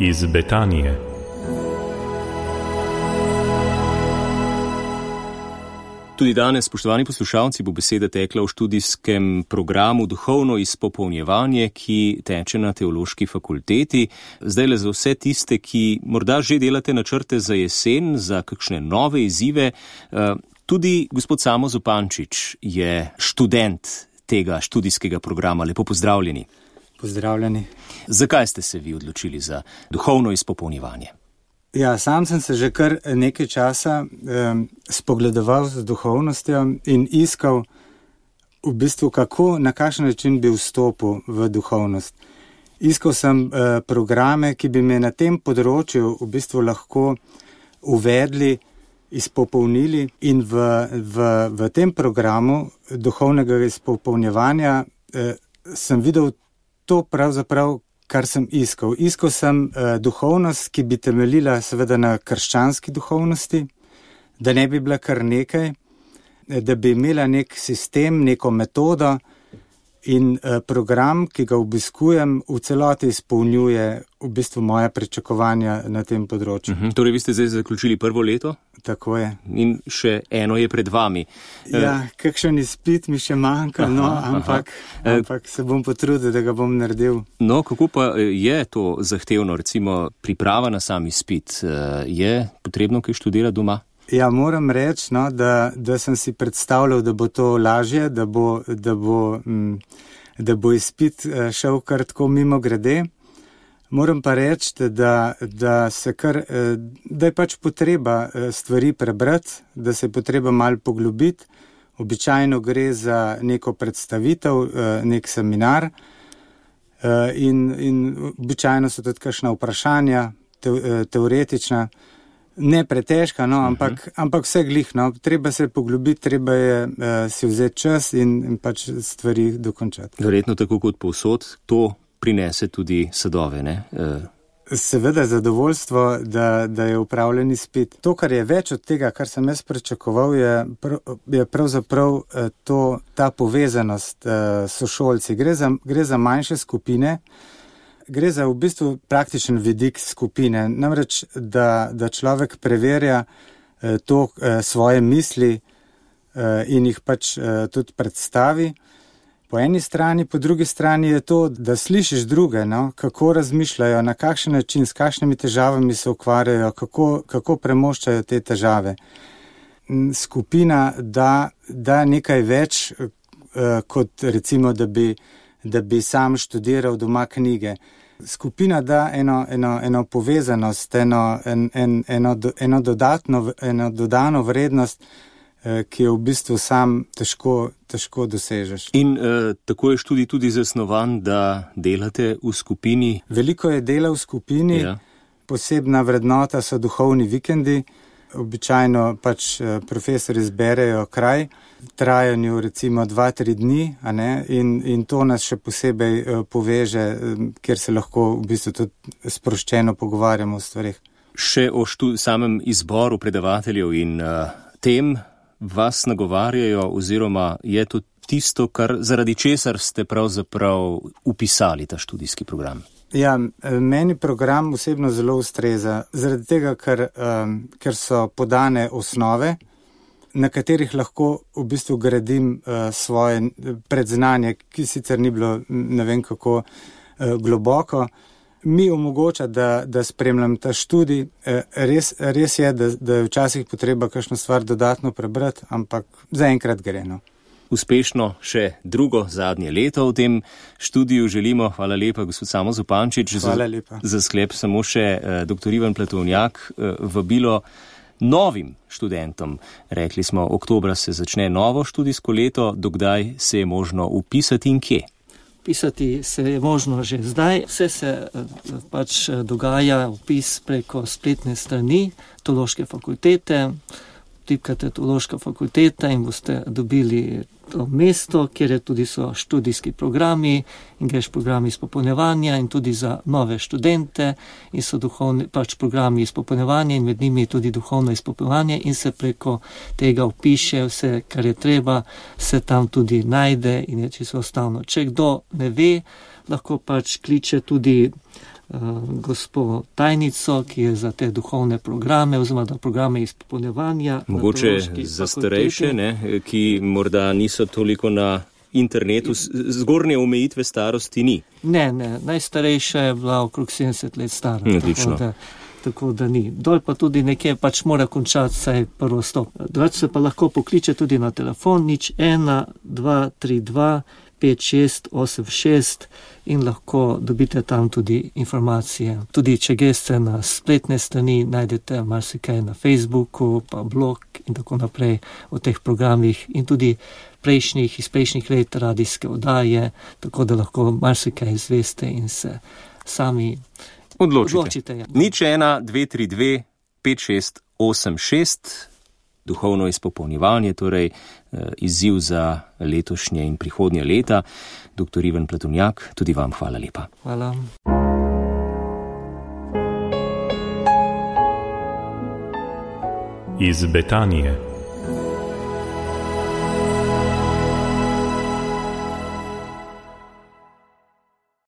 iz Betanije. Tudi danes, spoštovani poslušalci, bo beseda tekla v študijskem programu Duhovno izpopolnjevanje, ki teče na Teološki fakulteti. Zdajle za vse tiste, ki morda že delate načrte za jesen, za kakšne nove izzive. Tudi gospod Samo Zupančič je študent tega študijskega programa. Lepo pozdravljeni. Pozdravljeni. Zakaj ste se vi odločili za duhovno izpopolnjevanje? Ja, sam sem se že kar nekaj časa spogledoval z duhovnostjo in iskal v bistvu, kako, na kakšen način bi vstopil v duhovnost. Iskal sem programe, ki bi me na tem področju v bistvu lahko uvedli, izpopolnili, in v tem programu duhovnega izpopolnjevanja sem videl to pravzaprav, kar sem iskal. Iskal sem duhovnost, ki bi temeljila seveda na krščanski duhovnosti, da ne bi bila kar nekaj, da bi imela nek sistem, neko metodo, in program, ki ga obiskujem, v celoti izpolnjuje v bistvu moja pričakovanja na tem področju. Torej, vi ste zdaj zaključili prvo leto? Tako je. In še eno je pred vami. Ja, kakšen izpit mi še manjka, ampak se bom potrudil, da ga bom naredil. No, kako pa je to zahtevno, recimo priprava na sam izpit? Je potrebno kaj študirati doma? Ja, moram reči, da sem si predstavljal, da bo to lažje, da bo izpit šel kar tako mimo grede. Moram pa reči, da je pač potreba stvari prebrati, da se je potreba malo poglobiti. Običajno gre za neko predstavitev, nek seminar, in običajno so tudi kakšna vprašanja, teoretična, ne pretežka, ampak vse glih, treba se poglobiti, treba je si vzeti čas in pač stvari dokončati. Verjetno tako kot povsod, to prinese tudi sadove, ne? Seveda zadovoljstvo, da je upravljen izpit. To, kar je več od tega, kar sem jaz pričakoval, je pravzaprav ta povezanost sošolci. Gre za manjše skupine, gre za v bistvu praktičen vidik skupine. Namreč, da človek preverja svoje misli in jih pač tudi predstavi. Po eni strani, po drugi strani je to, da slišiš druge, kako razmišljajo, na kakšen način, s kakšnimi težavami se ukvarjajo, kako premoščajo te težave. Skupina da nekaj več, kot recimo, da bi sam študiral doma knjige. Skupina da eno povezanost, eno dodano vrednost, ki jo v bistvu sam težko dosežeš. In tako je študij tudi zasnovan, da delate v skupini? Veliko je dela v skupini, ja. Posebna vrednota so duhovni vikendi. Običajno pač profesori izberejo kraj, v trajanju recimo 2-3 dni, in to nas še posebej poveže, kjer se lahko v bistvu tudi sproščeno pogovarjamo o stvarih. Še o samem izboru predavateljev in tem vas nagovarjajo, oziroma je to tisto, zaradi česar ste pravzaprav upisali ta študijski program? Ja, meni program osebno zelo ustreza, zaradi tega, ker so podane osnove, na katerih lahko v bistvu gradim svoje predznanje, ki sicer ni bilo ne vem kako globoko. Mi omogoča, da spremljam ta študij. Res je, da je včasih potreba kakšno stvar dodatno prebrati, ampak zaenkrat gre. Uspešno še drugo, zadnje leto v tem študiju želimo. Hvala lepa, gospod Samo Zupančič. Hvala lepa. Za sklep samo še dr. Ivan Platovnjak, vabilo novim študentom. Rekli smo, oktobra se začne novo študijsko leto, dokdaj se je možno upisati in kje? Pisati se je možno že zdaj. Vse se pač dogaja vpis preko spletne strani Teološke fakultete. Tipkate Teološka fakulteta in boste dobili to mesto, kjer tudi so študijski programi in greš programi izpopolnjevanja in tudi za nove študente in so programi izpopolnjevanja in med njimi tudi duhovno izpopolnjevanje in se preko tega vpiše vse, kar je treba, se tam tudi najde in je čisto enostavno. Če kdo ne ve, lahko pač kliče tudi gospo tajnico, ki je za te duhovne programe oziroma da programe izpopolnjevanja. Mogoče za starejše, ki morda niso toliko na internetu, zgornje omejitve starosti ni. Ne, najstarejša je bila okrog 70 let stara. Tako da ni. Dol pa tudi nekje pač mora končati vsaj prvo stop. Drugače se pa lahko pokliče tudi na telefon 01-232 5686 in lahko dobite tam tudi informacije. Tudi če greste na spletne strani, najdete marsikaj na Facebooku, pa blog in tako naprej o teh programih in tudi iz prejšnjih let radijske oddaje, tako da lahko marsikaj izveste in se sami odločite. 01-232 5686, duhovno izpopolnjevanje, torej izziv za letošnje in prihodnje leta. Dr. Ivan Platonjak, tudi vam hvala lepa. Hvala. Iz Betanije.